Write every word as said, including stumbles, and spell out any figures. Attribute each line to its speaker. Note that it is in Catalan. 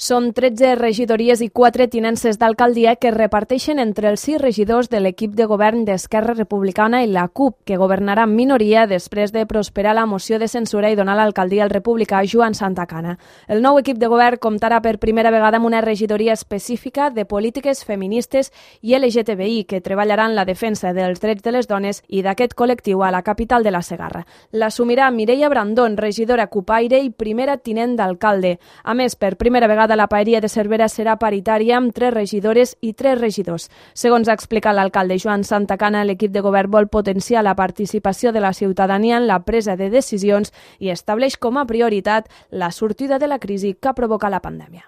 Speaker 1: Són tretze regidories i quatre tinences d'alcaldia que es reparteixen entre els sis regidors de l'equip de govern d'Esquerra Republicana i la CUP, que governarà en minoria després de prosperar la moció de censura i donar l'alcaldia al republicà Joan Santacana. El nou equip de govern comptarà per primera vegada amb una regidoria específica de polítiques feministes i L G T B I, que treballarà en la defensa dels drets de les dones i d'aquest col·lectiu a la capital de la Segarra. L'assumirà Mireia Brandón, regidora cupaire i primera tinent d'alcalde. A més, per primera vegada la paeria de Cervera serà paritària amb tres regidores i tres regidors. Segons ha explicat l'alcalde Joan Santacana, l'equip de govern vol potenciar la participació de la ciutadania en la presa de decisions i estableix com a prioritat la sortida de la crisi que ha provocat la pandèmia.